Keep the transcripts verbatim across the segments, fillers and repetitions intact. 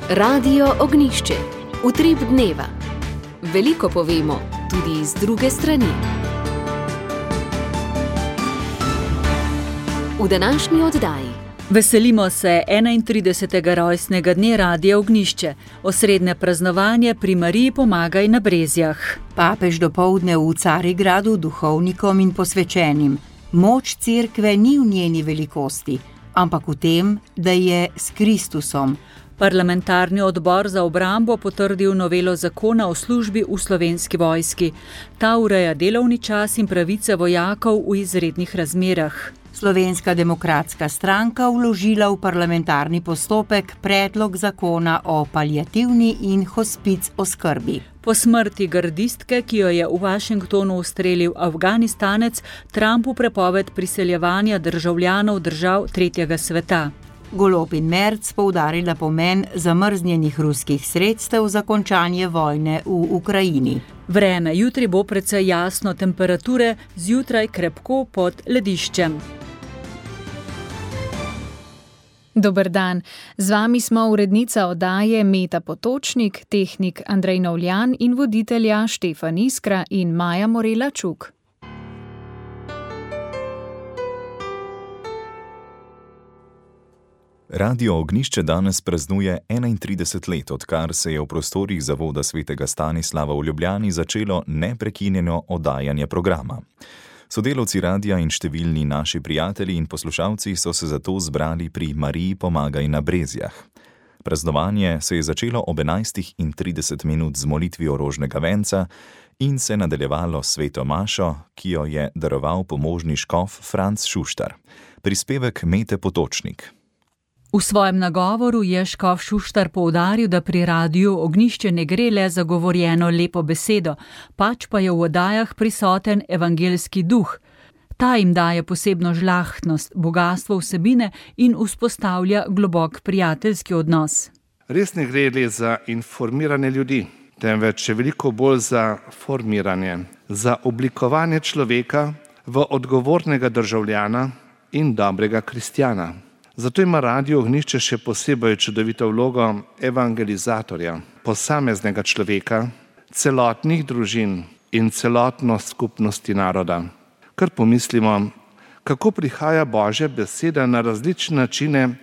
Radio Ognišče, utrip dneva. Veliko povemo, tudi z druge strani. V današnji oddaji veselimo se enaintridesetega rojstnega dne Radia Ognjišče, osrednje praznovanje pri Mariji Pomagaj na Brezjah. Papež dopoldne v Carigradu duhovnikom in posvečenim. Moč cerkve ni v njeni velikosti, ampak v tem, da je s Kristusom. Parlamentarni odbor za obrambo potrdil novelo zakona o službi v Slovenski vojski. Ta ureja delovni čas in pravice vojakov v izrednih razmerah. Slovenska demokratska stranka vložila v parlamentarni postopek predlog zakona o paliativni in hospic oskrbi. Po smrti gardistke, ki jo je v Washingtonu ustrelil Afganistanec, Trumpu prepoved priseljevanja državljanov držav tretjega sveta. Golob in Merc poudarila pomen zamrznjenih ruskih sredstev za končanje vojne v Ukrajini. Vreme jutri bo precej jasno, temperature zjutraj krepko pod lediščem. Dober dan, z vami smo urednica oddaje Meta Potočnik, tehnik Andrej Novljan in voditelja Štefan Iskra in Maja Morela Čuk. Radio Ognjišče danes praznuje enaintrideset let, odkar se je v prostorih Zavoda svetega Stanislava v Ljubljani začelo neprekinjeno oddajanje programa. Sodelavci radia in številni naši prijatelji in poslušalci so se zato zbrali pri Mariji Pomagaj na Brezjah. Praznovanje se je začelo ob enajstih in trideset minut z molitvijo rožnega venca in se nadaljevalo s sveto mašo, ki jo je daroval pomožni škof Franc Šuštar. Prispevek Mete Potočnik. V svojem nagovoru je škof Šuštar poudaril, da pri Radiu Ognjišče ne gre le za govorjeno lepo besedo, pač pa je v oddajah prisoten evangeljski duh. Ta jim daje posebno žlahtnost, bogastvo vsebine in vzpostavlja globok prijateljski odnos. Res ne gre le za informiranje ljudi, temveč je veliko bolj za formiranje, za oblikovanje človeka v odgovornega državljana in dobrega kristjana. Zato ima Radio Ognjišče še posebej čudovito vlogo evangelizatorja, posameznega človeka, celotnih družin in celotno skupnosti naroda. Kar pomislimo, kako prihaja Božja beseda na različne načine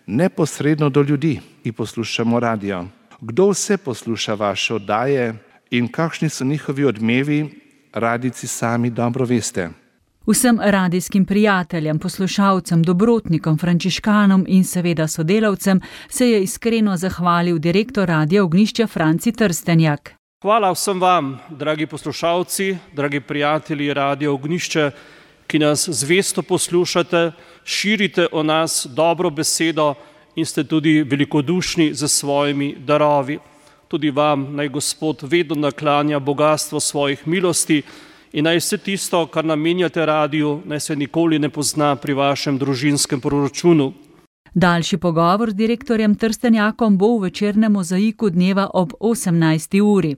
neposredno do ljudi, ki poslušamo radio. Kdo vse posluša vaše oddaje in kakšni so njihovi odmevi, radijci sami dobro veste. Vsem radijskim prijateljem, poslušalcem, dobrotnikom, frančiškanom in seveda sodelavcem se je iskreno zahvalil direktor Radia Ognjišče Franci Trstenjak. Hvala vsem vam, dragi poslušalci, dragi prijatelji Radia Ognjišče, ki nas zvesto poslušate, širite o nas dobro besedo in ste tudi velikodušni za svojimi darovi. Tudi vam naj Gospod vedno naklanja bogastvo svojih milosti in naj vse tisto, kar namenjate radiju, naj se nikoli ne pozna pri vašem družinskem proračunu. Daljši pogovor z direktorjem Trstenjakom bo v večernem mozaiku dneva ob osemnajsti uri.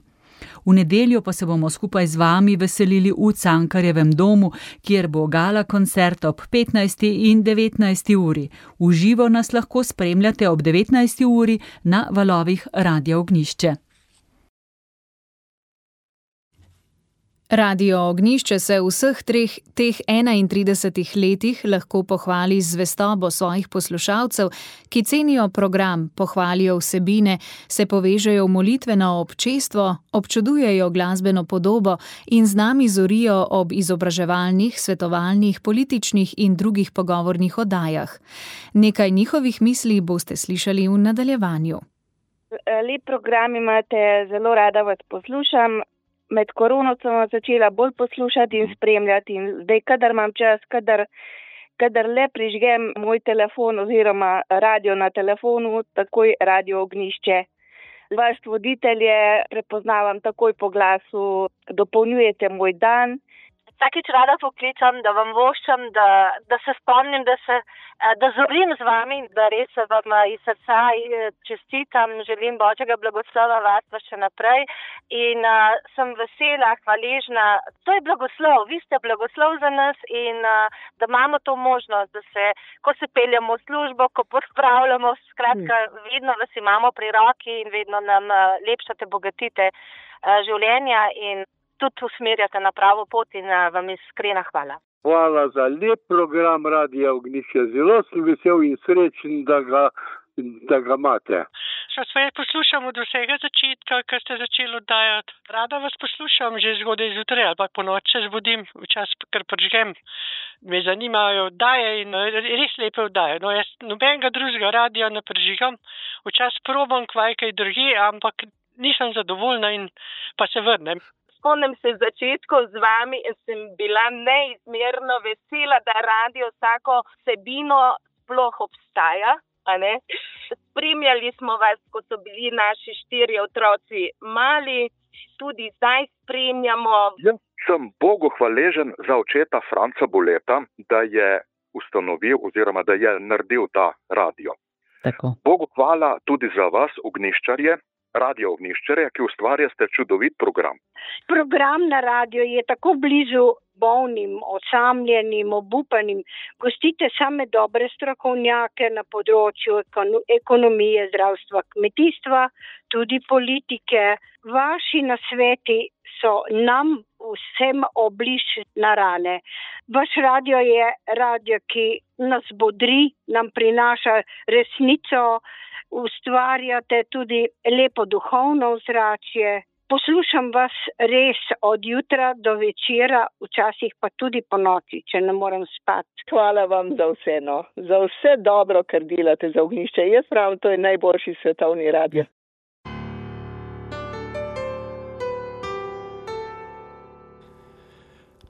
V nedeljo pa se bomo skupaj z vami veselili v Cankarjevem domu, kjer bo gala koncert ob petnajsti in devetnajsti uri. V živo nas lahko spremljate ob devetnajsti uri na valovih Radia Ognjišče. Radio Ognjišče se v vseh treh teh enaintridesetih letih lahko pohvali z zvestobo svojih poslušalcev, ki cenijo program, pohvalijo vsebine, se povežejo v molitveno občestvo, občudujejo glasbeno podobo in z nami zorijo ob izobraževalnih, svetovalnih, političnih in drugih pogovornih oddajah. Nekaj njihovih misli boste slišali v nadaljevanju. Lep program imate, zelo rada vas poslušam. Med korono sem vas začela bolj poslušati in spremljati in zdaj, kadar imam čas, kadar, kadar le prižgem moj telefon oziroma radio na telefonu, takoj Radio Ognjišče. Vas voditelje prepoznavam takoj po glasu, dopolnjujete moj dan. vsakič rada poklicam, da vam voščam, da, da se spomnim, da, se, da zorim z vami, da res vam iz srca čestitam, želim Božjega blagoslova varstva še naprej in uh, sem vesela, hvaležna. To je blagoslov, vi ste blagoslov za nas in uh, da imamo to možnost, da se, ko se peljemo v službo, ko pospravljamo, skratka, vedno vas imamo pri roki in vedno nam uh, lepšate, bogatite uh, življenja in tudi usmerjate na pravo pot in uh, vam iskrena hvala. Hvala za lep program Radia Ognjišče. Zelo sem vesel in srečen, da ga, da ga imate. Še sve poslušam od vsega začetka, kar ste začeli oddajati. Rada vas poslušam že zgodaj zjutraj ali pa po noč se zbudim, včasih kar prižgem. Me zanimajo oddaje in res lepe oddaje. No, jaz nobenega drugega radia ne prižigam. Včasih probam kvaj kaj drugje, ampak nisem zadovoljna in pa se vrnem. Spomnim se začetkov z vami in sem bila neizmerno vesela, da radio vsako vsebino sploh obstaja. A ne? Spremljali smo vas, ko so bili naši štirje otroci mali, tudi zdaj spremljamo. Jaz sem Bogu hvaležen za očeta Franca Boleta, da je ustanovil oziroma da je naredil ta radio. Tako. Bogu hvala tudi za vas, ognjiščarje, Radio Ognjišče, ki ustvarjate čudovit program. Program na radio je tako blizu bolnim, osamljenim, obupanim. Gostite same dobre strokovnjake na področju ekonomije, zdravstva, kmetijstva, tudi politike. Vaši nasveti so nam vsem obliž na rane. Vaš radio je radio, ki nas bodri, nam prinaša resnico, ustvarjate tudi lepo duhovno ozračje. Poslušam vas res od jutra do večera, včasih pa tudi po noči, če ne morem spati. Hvala vam za vse, no. Za vse dobro, kar delate za Ognjišče. Jaz pravim, to je najboljši svetovni radio.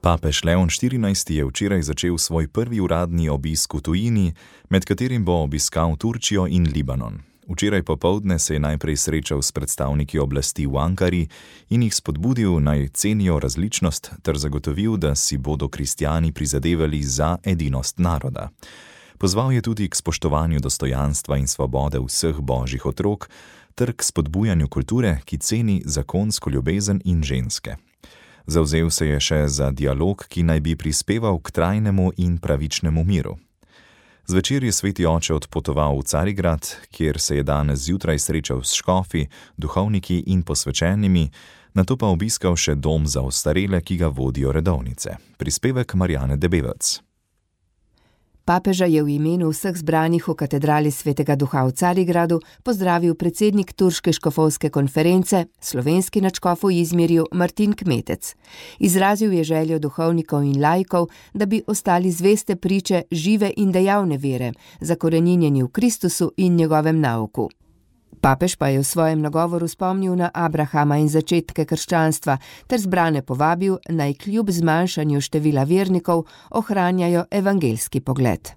Papež Leon štirinajsti je včeraj začel svoj prvi uradni obisk v tujini, med katerim bo obiskal Turčijo in Libanon. Včeraj popoldne se je najprej srečal s predstavniki oblasti v Ankari in jih spodbudil, naj cenijo različnost ter zagotovil, da si bodo kristjani prizadevali za edinost naroda. Pozval je tudi k spoštovanju dostojanstva in svobode vseh božjih otrok ter k spodbujanju kulture, ki ceni zakonsko ljubezen in ženske. Zavzel se je še za dialog, ki naj bi prispeval k trajnemu in pravičnemu miru. Zvečer je sveti oče odpotoval v Carigrad, kjer se je danes zjutraj srečal s škofi, duhovniki in posvečenimi, nato pa obiskal še dom za ostarele, ki ga vodijo redovnice. Prispevek Marjane Debevec. Papeža je v imenu vseh zbranih v katedrali Svetega Duha v Carigradu pozdravil predsednik Turške škofovske konference, slovenski nadškof v Izmirju Martin Kmetec. Izrazil je željo duhovnikov in laikov, da bi ostali zveste priče žive in dejavne vere, zakoreninjeni v Kristusu in njegovem nauku. Papež pa je v svojem nagovoru spomnil na Abrahama in začetke krščanstva ter zbrane povabil, naj kljub zmanjšanju števila vernikov ohranjajo evangeljski pogled.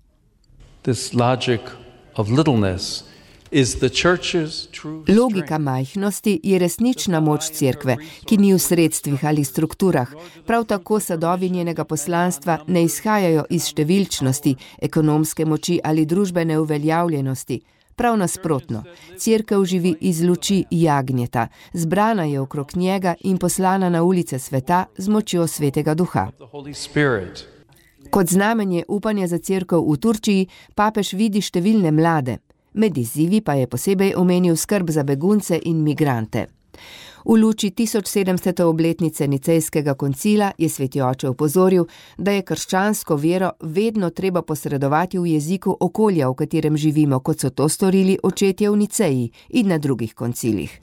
Logika majhnosti je resnična moč cerkve, ki ni v sredstvih ali strukturah. Prav tako sadovi njenega poslanstva ne izhajajo iz številčnosti, ekonomske moči ali družbene uveljavljenosti. Prav nasprotno, cerkev živi iz luči jagnjeta, zbrana je okrog njega in poslana na ulice sveta z močjo Svetega Duha. Kot znamenje upanja za cerkev v Turčiji, papež vidi številne mlade. Med izzivi pa je posebej omenil skrb za begunce in migrante. V luči tisoč sedemstote obletnice Nicejskega koncila je sveti oče opozoril, da je krščansko vero vedno treba posredovati v jeziku okolja, v katerem živimo, kot so to storili očetje v Niceji in na drugih koncilih.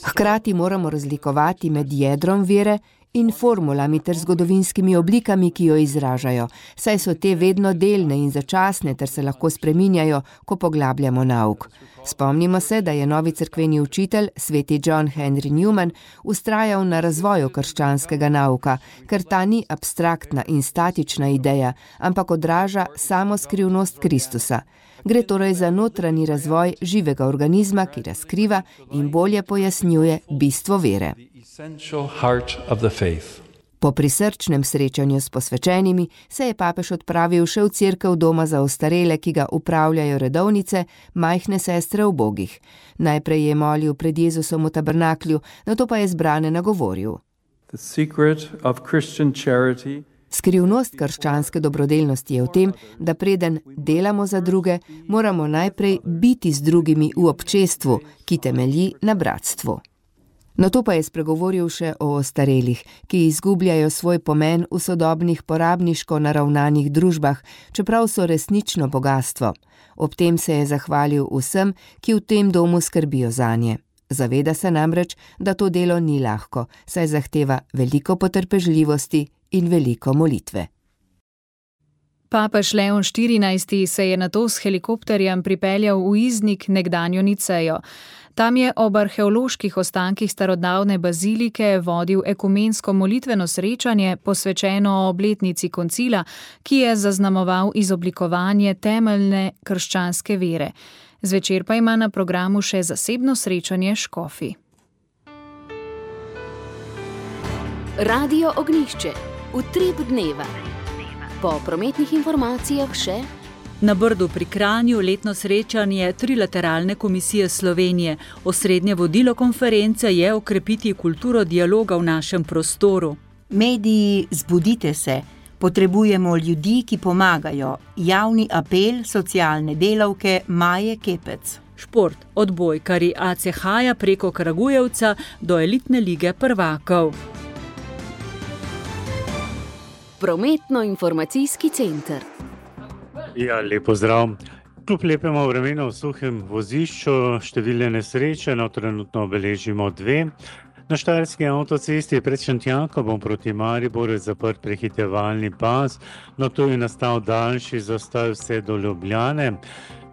Hkrati moramo razlikovati med jedrom vere in formulami ter zgodovinskimi oblikami, ki jo izražajo, saj so te vedno delne in začasne ter se lahko spreminjajo, ko poglabljamo nauk. Spomnimo se, da je novi cerkveni učitelj, sveti John Henry Newman, ustrajal na razvoju krščanskega nauka, ker ta ni abstraktna in statična ideja, ampak odraža samo skrivnost Kristusa. Gre torej za notranji razvoj živega organizma, ki razkriva in bolje pojasnjuje bistvo vere. Po prisrčnem srečanju s posvečenimi se je papež odpravil še v cerkev doma za ostarele, ki ga upravljajo redovnice, majhne sestre ubogih. Najprej je molil pred Jezusom v tabernaklju, nato pa je zbrane nagovoril. Skrivnost krščanske dobrodelnosti je v tem, da preden delamo za druge, moramo najprej biti z drugimi v občestvu, ki temelji na bratstvu. Nato pa je spregovoril še o ostarelih, ki izgubljajo svoj pomen v sodobnih porabniško naravnanih družbah, čeprav so resnično bogatstvo. Ob tem se je zahvalil vsem, ki v tem domu skrbijo zanje. Zaveda se namreč, da to delo ni lahko, saj zahteva veliko potrpežljivosti in veliko molitve. Papež Leon štirinajsti se je nato s helikopterjem pripeljal v Iznik, nekdanjo Nicejo. Tam je ob arheoloških ostankih starodavne bazilike vodil ekumensko molitveno srečanje posvečeno obletnici koncila, ki je zaznamoval izoblikovanje temeljne krščanske vere. Zvečer pa ima na programu še zasebno srečanje škofi. Radio Ognjišče. Utrip dneva. Po prometnih informacijah še na Brdu pri Kranju letno srečanje Trilateralne komisije Slovenije. Osrednje vodilo konference je okrepiti kulturo dialoga v našem prostoru. Mediji, zbudite se. Potrebujemo ljudi, ki pomagajo. Javni apel socialne delavke Maje Kepec. Šport, odbojkari A C H-ja preko Kragujevca do elitne lige prvakov. Prometno-informacijski center. Ja, lepo zdrav. Kljub lepemu vremenu v suhem vozišču številne nesreče, no trenutno obeležimo dve. Na Štajerski avtocesti pred Šentjakom proti Mariboru je zaprt prehitevalni pas, no tu je nastal daljši zastoj vse do Ljubljane.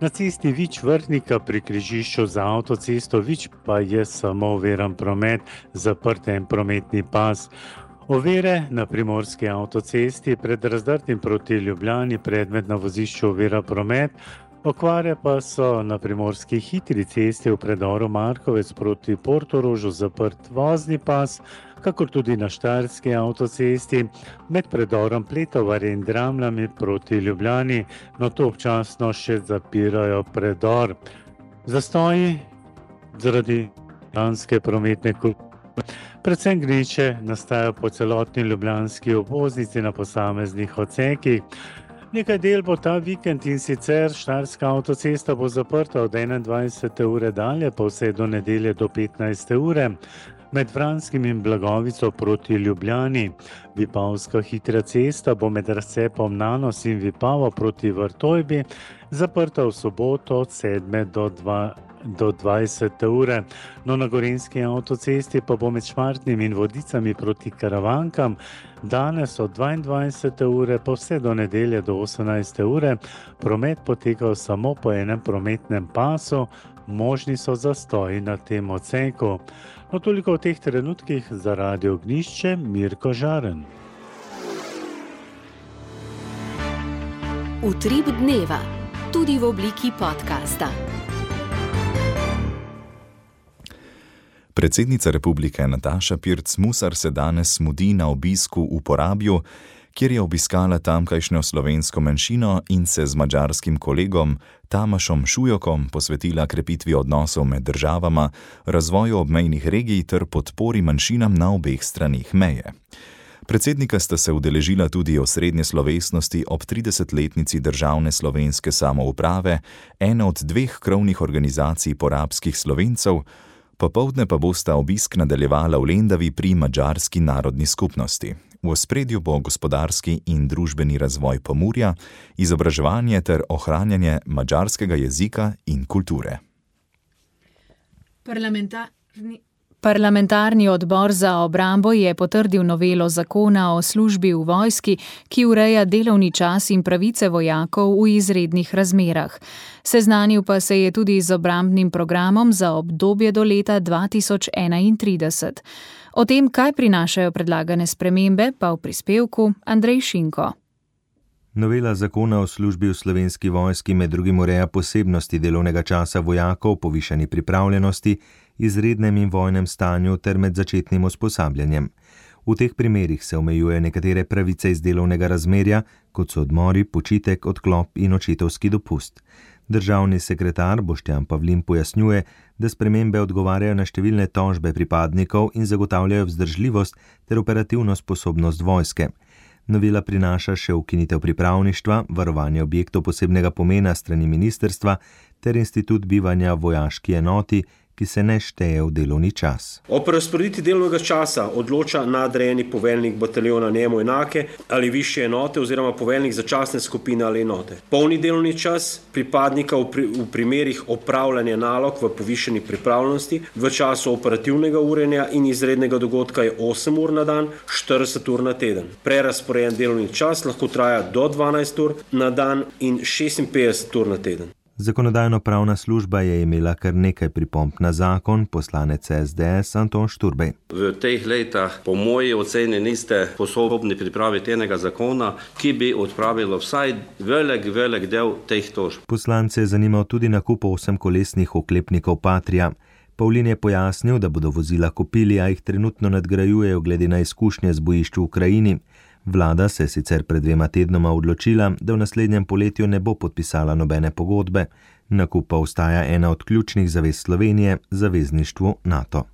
Na cesti Vič Vrhnika pri križišču za avtocesto Vič pa je samo oviran promet, zaprt en prometni pas. Ovire na primorski avtocesti pred Razdrtim proti Ljubljani predmet na vozišču ovira promet, okvare pa so na primorski hitri cesti v predoru Markovec proti Portorožu zaprt vozni pas, kakor tudi na Štajerski avtocesti med predorom Pletovarje in Dramljami proti Ljubljani, no to občasno še zapirajo predor. Zastoji zaradi ljubljanske prometne kulture. Predvsem gneče nastajajo po celotni ljubljanski obvoznici na posameznih odsekih. Nekaj del bo ta vikend in sicer Štajerska avtocesta bo zaprta od enaindvajsete ure dalje, pa vse do nedelje do petnajste ure. Med Vranskim in Blagovico proti Ljubljani. Vipavska hitra cesta bo med razcepom Nanos in Vipavo proti Vrtojbi zaprta v soboto od sedme do dvajsete ure. No, na Gorenjski avtocesti pa bo med Šmartnim in Vodicami proti Karavankam danes od dvaindvajsete ure pa vse do nedelje do osemnajste ure promet potekal samo po enem prometnem pasu, možni so zastoji na tem odseku. No, toliko v teh trenutkih za Radio Ognjišče, Mirko Žaren. Utrip dneva, tudi v obliki podcasta. Predsednica republike Nataša Pirc Musar se danes mudi na obisku v Porabju, kjer je obiskala tamkajšnjo slovensko manjšino in se z madžarskim kolegom Tamašom Šujokom posvetila krepitvi odnosov med državama, razvoju obmejnih regij ter podpori manjšinam na obeh stranih meje. Predsednika sta se udeležila tudi osrednje slovesnosti ob tridesetletnici državne slovenske samouprave, ena od dveh krovnih organizacij porabskih Slovencev, popoldne pa bosta obisk nadaljevala v Lendavi pri madžarski narodni skupnosti. V ospredju bo gospodarski in družbeni razvoj Pomurja, izobraževanje ter ohranjanje madžarskega jezika in kulture. Parlamentarni... Parlamentarni odbor za obrambo je potrdil novelo zakona o službi v vojski, ki ureja delovni čas in pravice vojakov v izrednih razmerah. Seznanil pa se je tudi z obrambnim programom za obdobje do leta dva tisoč enaintrideset. O tem, kaj prinašajo predlagane spremembe, pa v prispevku Andrej Šinko. Novela zakona o službi v Slovenski vojski med drugim ureja posebnosti delovnega časa vojakov, povišani pripravljenosti, izrednem in vojnem stanju ter med začetnim usposabljanjem. V teh primerih se omejuje nekatere pravice iz delovnega razmerja, kot so odmori, počitek, odklop in očetovski dopust. Državni sekretar Boštjan Pavlin pojasnjuje, da spremembe odgovarjajo na številne tožbe pripadnikov in zagotavljajo vzdržljivost ter operativno sposobnost vojske. Novela prinaša še ukinitev pripravništva, varovanje objektov posebnega pomena strani ministrstva ter institut bivanja v vojaški enoti, ki se ne šteje v delovni čas. O prerazporeditvi delovnega časa odloča nadrejeni poveljnik bataljona njemu enake ali višje enote oziroma poveljnik začasne skupine ali enote. Polni delovni čas pripadnika v, pri, v primerih opravljanja nalog v povišeni pripravljenosti v času operativnega urjenja in izrednega dogodka je osem ur na dan, štirideset ur na teden. Prerazporejen delovni čas lahko traja do dvanajst ur na dan in šestinpetdeset ur na teden. Zakonodajno-pravna služba je imela kar nekaj pripomb na zakon, poslanec S D S Anton Šturbej. V teh letih po moji oceni niste sposobni pripraviti enega zakona, ki bi odpravilo vsaj velik, velik del teh tožb. Poslance je zanimal tudi nakup osemkolesnih oklepnikov Patria. Pavlin je pojasnil, da bodo vozila kupili, a jih trenutno nadgrajujejo glede na izkušnje z bojišč v Ukrajini. Vlada se je sicer pred dvema tednoma odločila, da v naslednjem poletju ne bo podpisala nobene pogodbe. Nakup pa ostaja ena od ključnih zavez Slovenije zavezništvu NATO.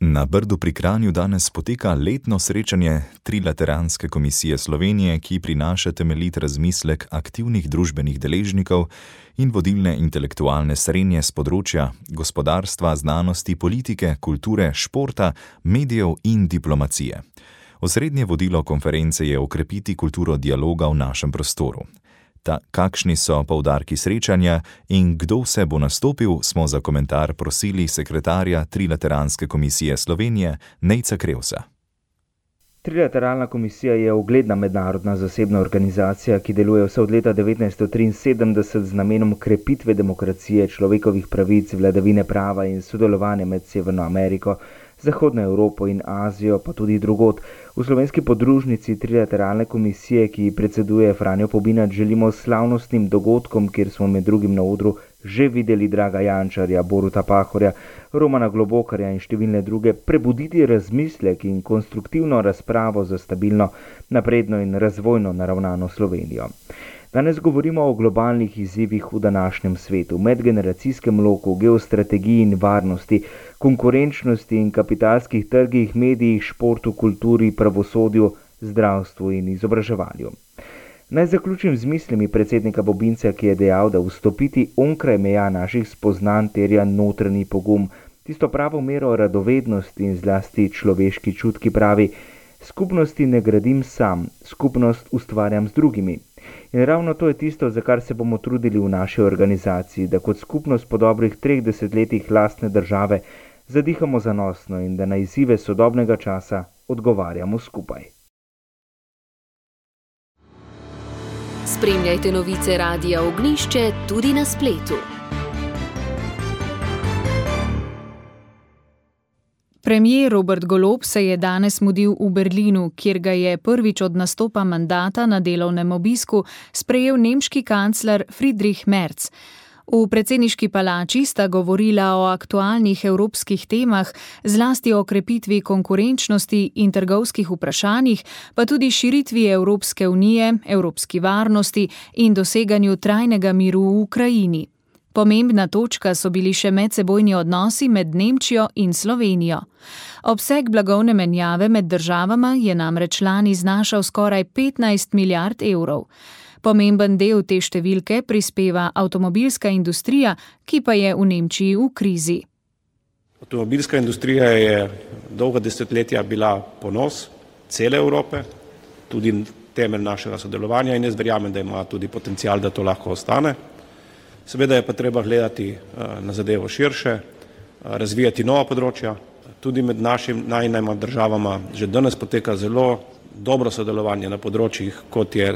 Na Brdu pri Kranju danes poteka letno srečanje Trilateranske komisije Slovenije, ki prinaša temeljit razmislek aktivnih družbenih deležnikov in vodilne intelektualne srenje z področja gospodarstva, znanosti, politike, kulture, športa, medijev in diplomacije. Osrednje vodilo konference je okrepiti kulturo dialoga v našem prostoru. Ta, kakšni so poudarki srečanja in kdo vse bo nastopil, smo za komentar prosili sekretarja Trilateranske komisije Slovenije Nejca Krevsa. Trilateralna komisija je ugledna mednarodna zasebna organizacija, ki deluje vse od leta devetnajststo triinsedemdeset z namenom krepitve demokracije, človekovih pravic, vladavine prava in sodelovanja med Severno Ameriko, Zahodno Evropo in Azijo, pa tudi drugod. V slovenski podružnici Trilateralne komisije, ki predseduje Franjo Pobinat, želimo slavnostnim dogodkom, kjer smo med drugim na odru že videli Draga Jančarja, Boruta Pahorja, Romana Globokarja in številne druge, prebuditi razmislek in konstruktivno razpravo za stabilno, napredno in razvojno naravnano Slovenijo. Danes govorimo o globalnih izzivih v današnjem svetu, medgeneracijskem loku, geostrategiji in varnosti, konkurenčnosti in kapitalskih trgih, medijih, športu, kulturi, pravosodju, zdravstvu in izobraževanju. Naj zaključim z mislimi predsednika Bobinca, ki je dejal, da vstopiti onkraj meja naših spoznanj terja notranji pogum, tisto pravo mero radovednosti in zlasti človeški čut, ki pravi: skupnosti ne gradim sam, skupnost ustvarjam z drugimi. In ravno to je tisto, za kar se bomo trudili v naši organizaciji, da kot skupnost po dobrih treh desetletjih lastne države zadihamo zanosno in da na izzive sodobnega časa odgovarjamo skupaj. Spremljajte novice Radia Ognjišče tudi na spletu. Premier Robert Golob se je danes mudil v Berlinu, kjer ga je prvič od nastopa mandata na delovnem obisku sprejel nemški kancler Friedrich Merz. V predsedniški palači sta govorila o aktualnih evropskih temah, zlasti o krepitvi konkurenčnosti in trgovskih vprašanjih, pa tudi širitvi Evropske unije, evropski varnosti in doseganju trajnega miru v Ukrajini. Pomembna točka so bili še medsebojni odnosi med Nemčijo in Slovenijo. Obseg blagovne menjave med državama je namreč lani znašal skoraj petnajst milijard evrov. Pomemben del te številke prispeva avtomobilska industrija, ki pa je v Nemčiji v krizi. Avtomobilska industrija je dolga desetletja bila ponos cele Evrope, tudi temelj našega sodelovanja in jaz verjamem, da ima tudi potencial, da to lahko ostane. Seveda je pa treba gledati na zadevo širše, razvijati nova področja. Tudi med našim najmanjšima državama že danes poteka zelo dobro sodelovanje na področjih, kot, je,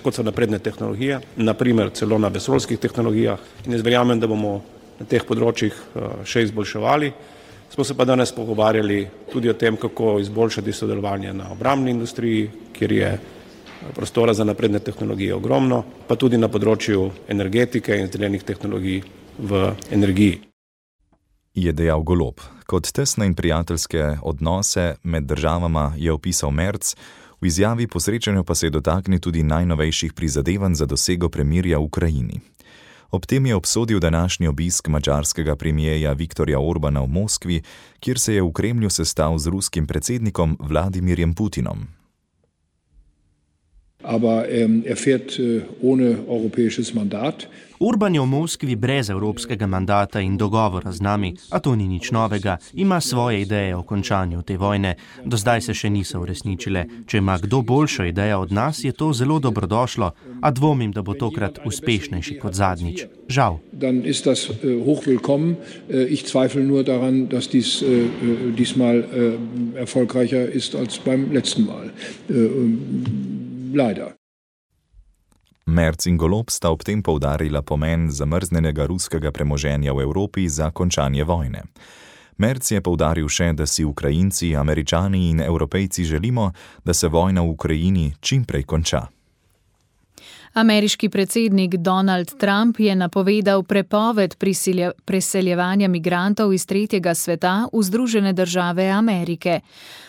kot so napredne tehnologije, naprimer celo na vesoljskih tehnologijah. In jaz verjamem, da bomo na teh področjih še izboljševali Smo se pa danes pogovarjali tudi o tem, kako izboljšati sodelovanje na obrambni industriji, kjer je prostora za napredne tehnologije ogromno, pa tudi na področju energetike in zelenih tehnologij v energiji. Je dejal Golob. Kot tesne in prijateljske odnose med državama je opisal Merz, v izjavi po srečanju pa se je dotaknil tudi najnovejših prizadevanj za dosego premirja v Ukrajini. Ob tem je obsodil današnji obisk madžarskega premijeja Viktorja Orbana v Moskvi, kjer se je v Kremlju sestal z ruskim predsednikom Vladimirjem Putinom. Aber ähm, er fährt äh, ohne europäisches Mandat. Orban je v Moskvi brez evropskega mandata in dogovora z nami, a to ni nič novega. Ima svoje ideje o končanju te vojne. Do zdaj se še niso uresničile. Če ima kdo boljšo idejo od nas, je to zelo dobrodošlo, a dvomim, da bo tokrat uspešnejši kot zadnjič. Žal. Dan ist das äh, hochwillkommen. Äh, ich zweifle nur daran, dass dies äh, diesmal äh, erfolgreicher ist als beim letzten Mal. Äh, leider. Merz in Golob sta ob tem poudarila pomen zamrznenega ruskega premoženja v Evropi za končanje vojne. Merz je poudaril še, da si Ukrajinci, Američani in Evropejci želimo, da se vojna v Ukrajini čim prej konča. Ameriški predsednik Donald Trump je napovedal prepoved preseljevanja migrantov iz tretjega sveta v Združene države Amerike.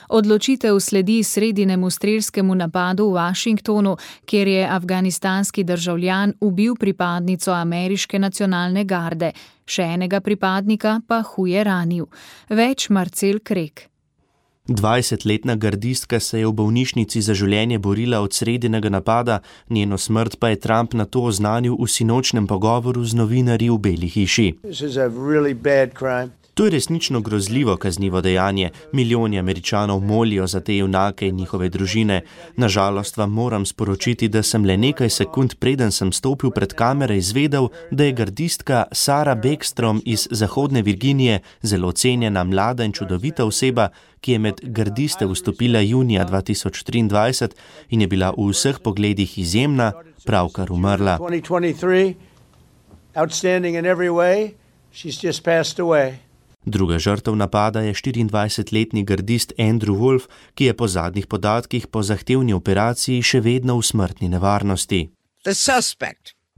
Odločitev sledi sredinemu strelskemu napadu v Washingtonu, kjer je afganistanski državljan ubil pripadnico ameriške nacionalne garde, še enega pripadnika pa huje ranil. Več Marcel Krek. dvajsetletna gardistka se je v bolnišnici za življenje borila od sredinega napada, njeno smrt pa je Trump nato oznanil v sinočnem pogovoru z novinarji v Beli hiši. To je resnično grozljivo kaznivo dejanje. Milijoni Američanov molijo za te junake in njihove družine. Nažalost vam moram sporočiti, da sem le nekaj sekund preden sem stopil pred kamere izvedel, da je gardistka Sara Beckstrom iz Zahodne Virginije zelo cenjena, mlada in čudovita oseba, ki je med gardiste vstopila junija dva tisoč triindvajset in je bila v vseh pogledih izjemna, pravkar umrla. Druga žrtev napada je štiriindvajsetletni gardist Andrew Wolf, ki je po zadnjih podatkih po zahtevni operaciji še vedno v smrtni nevarnosti.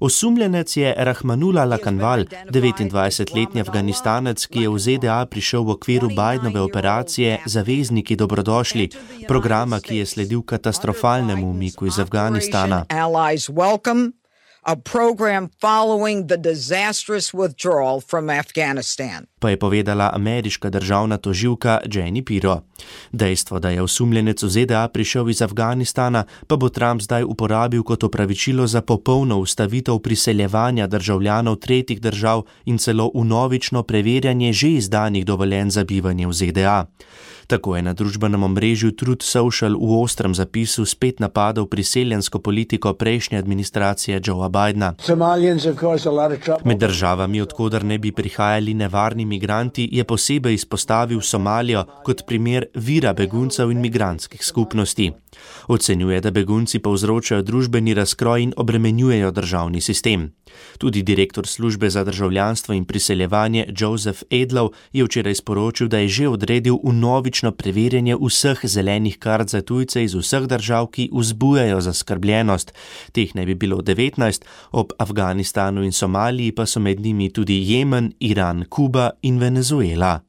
Osumljenec je Rahmanullah Lakanval, devetindvajsetletni Afganistanec, ki je v Z D A prišel v okviru Bidenove operacije Zavezniki dobrodošli, programa, ki je sledil katastrofalnemu umiku iz Afganistana. A program following the disastrous withdrawal from Afghanistan. Pa je povedala ameriška državna tožilka Jenny Pirro. Dejstvo, da je osumljenec v Z D A prišel iz Afganistana, pa bo Trump zdaj uporabil kot opravičilo za popolno ustavitev priseljevanja državljanov tretjih držav in celo vnovično preverjanje že izdanih dovoljenj za bivanje v Z D A. Tako je na družbenem omrežju Truth Social v ostrem zapisu spet napadal priseljensko politiko prejšnje administracije Joea Bidena. Med državami, odkoder ne bi prihajali nevarni migranti, je posebej izpostavil Somalijo kot primer vira beguncev in migrantskih skupnosti. Ocenjuje, da begunci povzročajo družbeni razkroj in obremenjujejo državni sistem. Tudi direktor službe za državljanstvo in priseljevanje Joseph Edlow je včeraj sporočil, da je že odredil vnovično preverjanje vseh zelenih kart za tujce iz vseh držav, ki vzbujajo zaskrbljenost. Teh naj bi bilo devetnajst, ob Afganistanu in Somaliji pa so med njimi tudi Jemen, Iran, Kuba in Venezuela.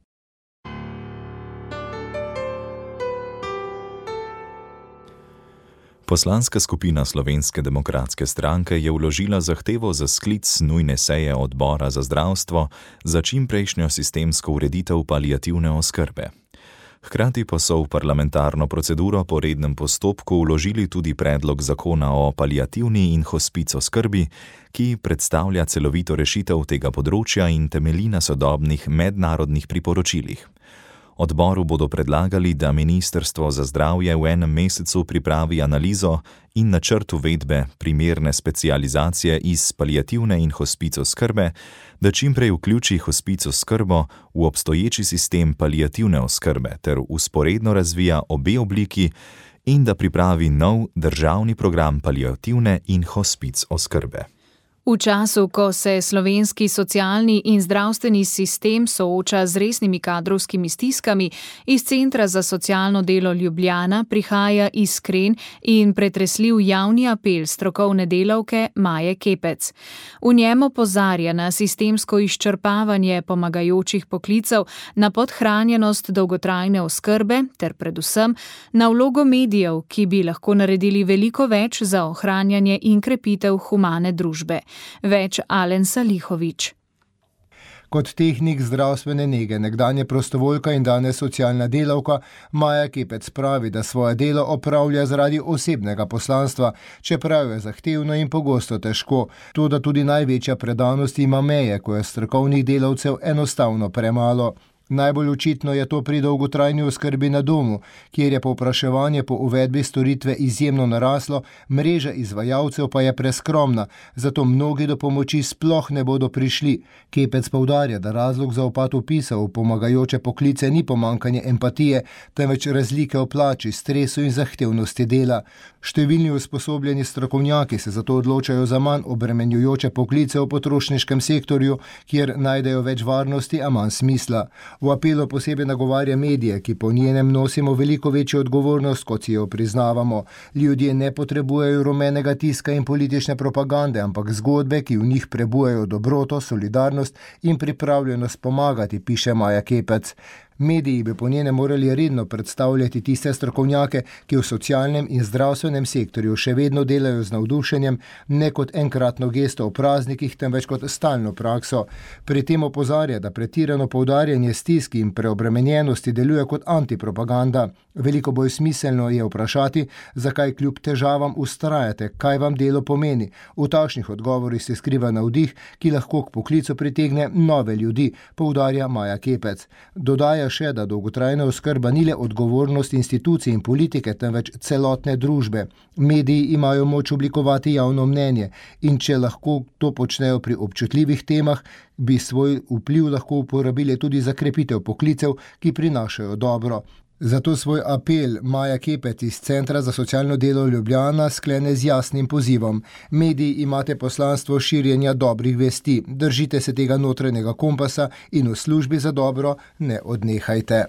Poslanska skupina Slovenske demokratske stranke je vložila zahtevo za sklic nujne seje odbora za zdravstvo za čimprejšnjo sistemsko ureditev paliativne oskrbe. Hkrati pa so v parlamentarno proceduro po rednem postopku vložili tudi predlog zakona o paliativni in hospic oskrbi, ki predstavlja celovito rešitev tega področja in temelji na sodobnih mednarodnih priporočilih. Odboru bodo predlagali, da Ministrstvo za zdravje v enem mesecu pripravi analizo in načrt uvedbe primerne specializacije iz paliativne in hospic oskrbe, da čimprej vključi hospic oskrbo v obstoječi sistem paliativne oskrbe ter vzporedno razvija obe obliki in da pripravi nov državni program paliativne in hospic oskrbe. V času, ko se slovenski socialni in zdravstveni sistem sooča z resnimi kadrovskimi stiskami, iz Centra za socialno delo Ljubljana prihaja iskren in pretresljiv javni apel strokovne delavke Maje Kepec. V njem opozarja na sistemsko izčrpavanje pomagajočih poklicev, na podhranjenost dolgotrajne oskrbe ter predvsem na vlogo medijev, ki bi lahko naredili veliko več za ohranjanje in krepitev humane družbe. Več Alen Salihovič. Kot tehnik zdravstvene nege, nekdanje prostovoljka in danes socialna delavka, Maja Kepec pravi, da svoje delo opravlja zaradi osebnega poslanstva, čeprav je zahtevno in pogosto težko. Toda tudi največja predanost ima meje, ko je strokovnih delavcev enostavno premalo. Najbolj očitno je to pri dolgotrajni oskrbi na domu, kjer je povpraševanje po uvedbi storitve izjemno naraslo, mreža izvajalcev pa je preskromna, zato mnogi do pomoči sploh ne bodo prišli. Kepec poudarja, da razlog za upad vpisa v pomagajoče poklice ni pomanjkanje empatije, temveč razlike v plači, stresu in zahtevnosti dela. Številni usposobljeni strokovnjaki se zato odločajo za manj obremenjujoče poklice v potrošniškem sektorju, kjer najdejo več varnosti, a manj smisla. V apelu posebej nagovarja medije, ki po njenem nosimo veliko večjo odgovornost, kot si jo priznavamo. Ljudje ne potrebujejo rumenega tiska in politične propagande, ampak zgodbe, ki v njih prebujajo dobroto, solidarnost in pripravljenost pomagati, piše Maja Kepec. Mediji bi po njene morali redno predstavljati tiste strokovnjake, ki v socialnem in zdravstvenem sektorju še vedno delajo z navdušenjem, ne kot enkratno gesto v praznikih, temveč kot stalno prakso. Pri tem opozarja, da pretirano poudarjanje stiski in preobremenjenosti deluje kot antipropaganda. Veliko bolj smiselno je vprašati, zakaj kljub težavam vztrajate, kaj vam delo pomeni. V takšnih odgovorih se skriva navdih, ki lahko k poklicu pritegne nove ljudi, poudarja Maja Kepec. Dodaja še, da dolgotrajna oskrba ni le odgovornost institucij in politike, temveč celotne družbe. Mediji imajo moč oblikovati javno mnenje in če lahko to počnejo pri občutljivih temah, bi svoj vpliv lahko uporabili tudi za krepitev poklicev, ki prinašajo dobro. Zato svoj apel Maja Kepec iz Centra za socialno delo Ljubljana sklene z jasnim pozivom. Mediji imate poslanstvo širjenja dobrih vesti, držite se tega notranjega kompasa in v službi za dobro ne odnehajte.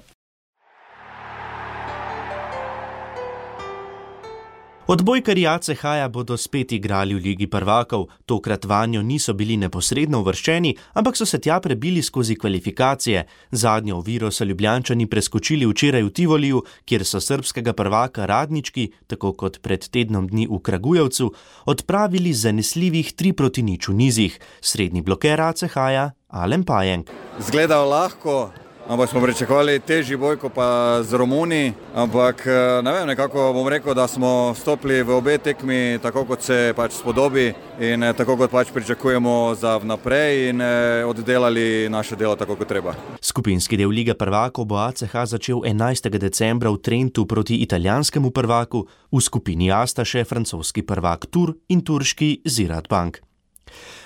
Odbojkarji A C H-ja bodo spet igrali v Ligi prvakov, tokrat vanjo niso bili neposredno uvrščeni, ampak so se tja prebili skozi kvalifikacije. Zadnjo oviro so Ljubljančani preskočili včeraj v Tivoliju, kjer so srbskega prvaka Radnički, tako kot pred tednom dni v Kragujevcu, odpravili zanesljivih tri proti nič v nizih. Srednji bloker A C H-ja Alen Pajenk. Zgledal lahko, ampak smo pričakovali težji boj kot pa z Romuni, ampak ne vem, nekako bom rekel, da smo stopili v obe tekmi tako, kot se pač spodobi in tako, kot pač pričakujemo za vnaprej in oddelali naše delo tako, kot treba. Skupinski del Lige prvakov bo A C H začel enajstega decembra v Trentu proti italijanskemu prvaku, v skupini A sta še francoski prvak Tur in turški Ziraat Bank.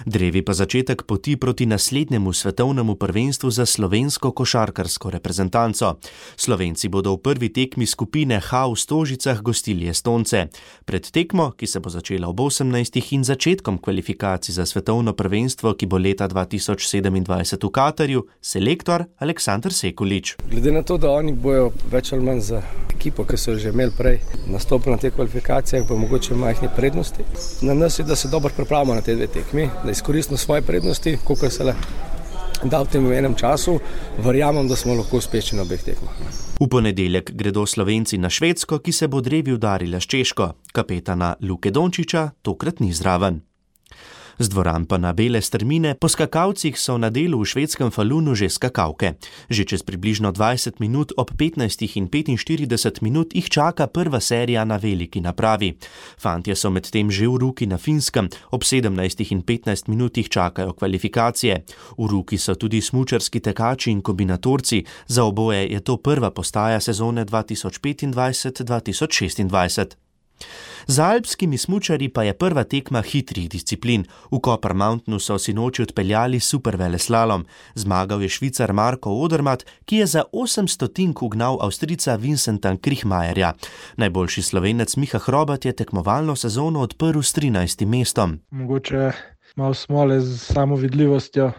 Drevi pa začetek poti proti naslednjemu svetovnemu prvenstvu za slovensko košarkarsko reprezentanco. Slovenci bodo v prvi tekmi skupine H v Stožicah gostili Estonce. Pred tekmo, ki se bo začela ob osemnajstih in začetkom kvalifikacij za svetovno prvenstvo, ki bo leta dva tisoč sedemindvajset v Katarju, selektor Aleksandar Sekulič. Glede na to, da oni bojo več ali manj za ekipo, ki so že imeli prej nastopili na te kvalifikacije, pa mogoče majhne prednosti. Na nas je, da se dobro pripravimo na te dve tekmi, da izkoristimo svoje prednosti, koliko se le da v tem enem času, verjamem, da smo lahko uspešni na obeh tekmah. V ponedeljek gredo Slovenci na Švedsko, ki se bo drevi udarila s Češko. Kapetana Luke Dončiča tokrat ni zraven. Z dvoran pa na bele strmine, po skakalcih so na delu v švedskem Falunu že skakalke. Že čez približno dvajset minut ob petnajstih in petinštirideset minut jih čaka prva serija na veliki napravi. Fantje so medtem že v Ruki na Finskem, ob sedemnajstih in petnajst minut jih čakajo kvalifikacije. V Ruki so tudi smučarski tekači in kombinatorci, za oboje je to prva postaja sezone dva tisoč petindvajset dva tisoč šestindvajset. Za alpskimi smučarji pa je prva tekma hitrih disciplin. V Copper Mountainu so sinoči odpeljali superveleslalom. Zmagal je Švicar Marko Odermatt, ki je za osem stotink ugnal Avstrijca Vincenta Kriechmayerja. Najboljši Slovenec Miha Hrobat je tekmovalno sezono odprl s trinajstim mestom. Mogoče malo smole z samo vidljivostjo.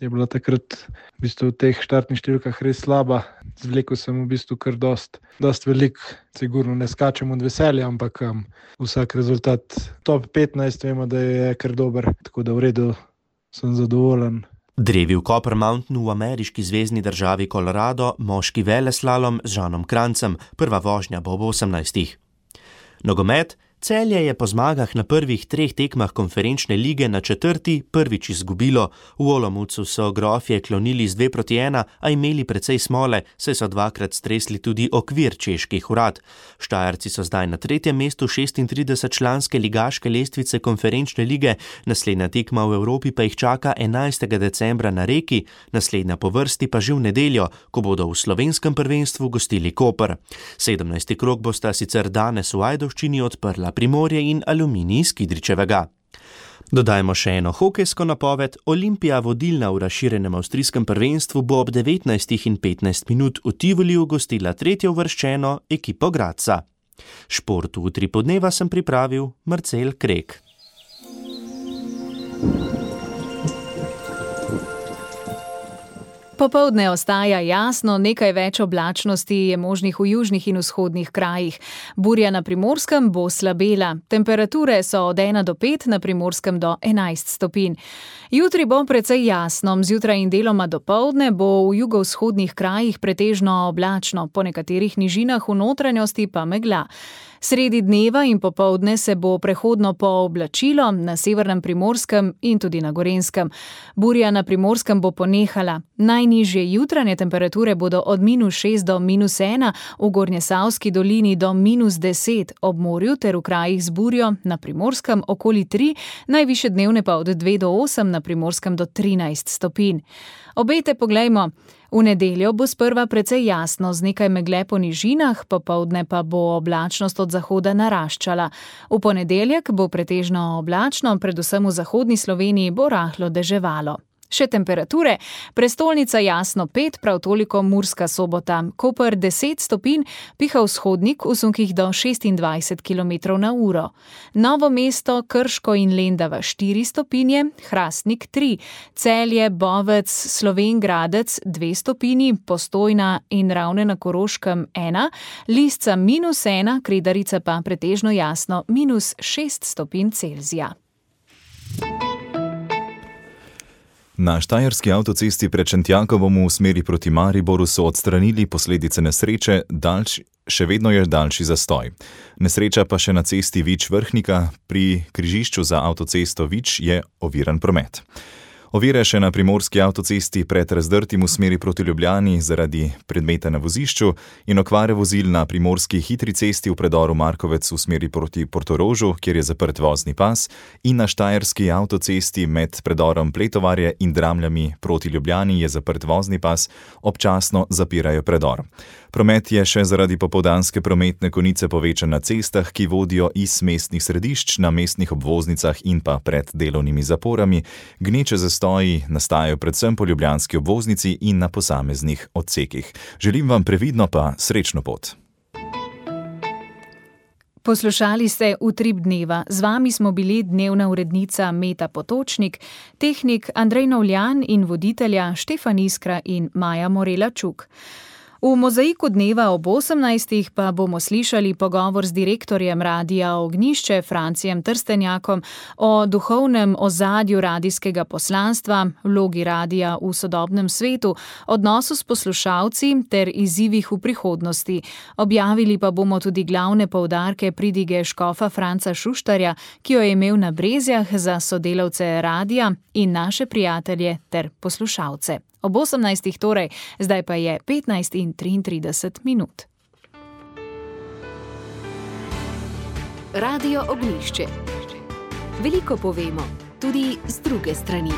Je bila takrat v bistvu v teh štartnih številkah res slaba. Zvlekel sem v bistvu kar dost, dost velik, sigurno ne skačem od veselja, ampak um, vsak rezultat top petnajst vemo, da je kar dober, tako da v redu sem zadovoljen. Drevi v Copper Mountainu v ameriški zvezni državi Colorado, moški veleslalom z Žanom Krancem, prva vožnja bo ob osemnajstih. Nogomet. Celje je po zmagah na prvih treh tekmah konferenčne lige na četrti prvič izgubilo. V Olomoucu so Grofje klonili z dve proti ena, a imeli precej smole, saj so dvakrat stresli tudi okvir čeških urad. Štajerci so zdaj na tretjem mestu šestintridesetčlanske ligaške lestvice konferenčne lige, naslednja tekma v Evropi pa jih čaka enajstega decembra na Reki, naslednja po vrsti pa že v nedeljo, ko bodo v slovenskem prvenstvu gostili Koper. sedemnajsti krog bosta sicer danes v Ajdovščini odprla Primorje in Aluminij iz Kidričevega. Dodajmo še eno hokejsko napoved. Olimpija, vodilna v razširjenem avstrijskem prvenstvu, bo ob devetnajstih in petnajst minut v Tivoliju gostila tretjo uvrščeno ekipo Gradca. Šport v Utri podneva sem pripravil Marcel Krek. Popoldne ostaja jasno, nekaj več oblačnosti je možnih v južnih in vzhodnih krajih. Burja na Primorskem bo slabela. Temperature so od ena do pet, na Primorskem do enajst stopinj. Jutri bo precej jasno, zjutraj in deloma dopoldne bo v jugovzhodnih krajih pretežno oblačno, po nekaterih nižinah v notranjosti pa megla. Sredi dneva in popoldne se bo prehodno pooblačilo na severnem Primorskem in tudi na Gorenjskem. Burja na Primorskem bo ponehala. Najnižje jutranje temperature bodo od minus šest do minus ena, v Gornjesavski dolini do minus deset, ob morju ter v krajih z burjo na Primorskem okoli tri, najvišje dnevne pa od dve do osem, na Primorskem do trinajst stopinj. Obete poglejmo. V nedeljo bo sprva precej jasno z nekaj megle po nižinah, popoldne pa bo oblačnost od zahoda naraščala. V ponedeljek bo pretežno oblačno, predvsem v zahodni Sloveniji bo rahlo deževalo. Še temperature, prestolnica jasno pet, prav toliko Murska Sobota, Koper deset stopinj, piha vzhodnik v sunkih do šestindvajset kilometrov na uro. Novo mesto, Krško in Lendava štiri stopinje, Hrastnik tri, Celje, Bovec, Slovenj Gradec dve stopinji, Postojna in Ravne na Koroškem ena, Lisca minus ena, Kredarica pa pretežno jasno minus šest stopinj Celzija. Na štajerski avtocesti pred Šentjakovom v smeri proti Mariboru so odstranili posledice nesreče, daljš, še vedno je daljši zastoj. Nesreča pa še na cesti Vič-Vrhnika, pri križišču za avtocesto Vič je oviran promet. Ovire še na primorski avtocesti pred Razdrtim v smeri proti Ljubljani zaradi predmeta na vozišču in okvare vozil na primorski hitri cesti v predoru Markovec v smeri proti Portorožu, kjer je zaprt vozni pas, in na štajerski avtocesti med predorom Pletovarje in Dramljami proti Ljubljani je zaprt vozni pas, občasno zapirajo predor. Promet je še zaradi popoldanske prometne konice povečan na cestah, ki vodijo iz mestnih središč na mestnih obvoznicah in pa pred delovnimi zaporami. Gneče zastoji nastajajo predvsem po ljubljanski obvoznici in na posameznih odsekih. Želim vam previdno pa srečno pot. Poslušali ste Utrip dneva. Z vami smo bili dnevna urednica Meta Potočnik, tehnik Andrej Novljan in voditelja Štefan Iskra in Maja Morela Čuk. V mozaiku dneva ob osemnajstih pa bomo slišali pogovor z direktorjem Radia Ognjišče Francijem Trstenjakom o duhovnem ozadju radijskega poslanstva, vlogi radija v sodobnem svetu, odnosu s poslušalci ter izzivih v prihodnosti. Objavili pa bomo tudi glavne poudarke pridige škofa Franca Šuštarja, ki jo je imel na Brezjah za sodelavce radija in naše prijatelje ter poslušalce. Ob osemnajstih torej, zdaj pa je petnajst in triintrideset minut. Radio Ognjišče. Veliko povemo, tudi z druge strani.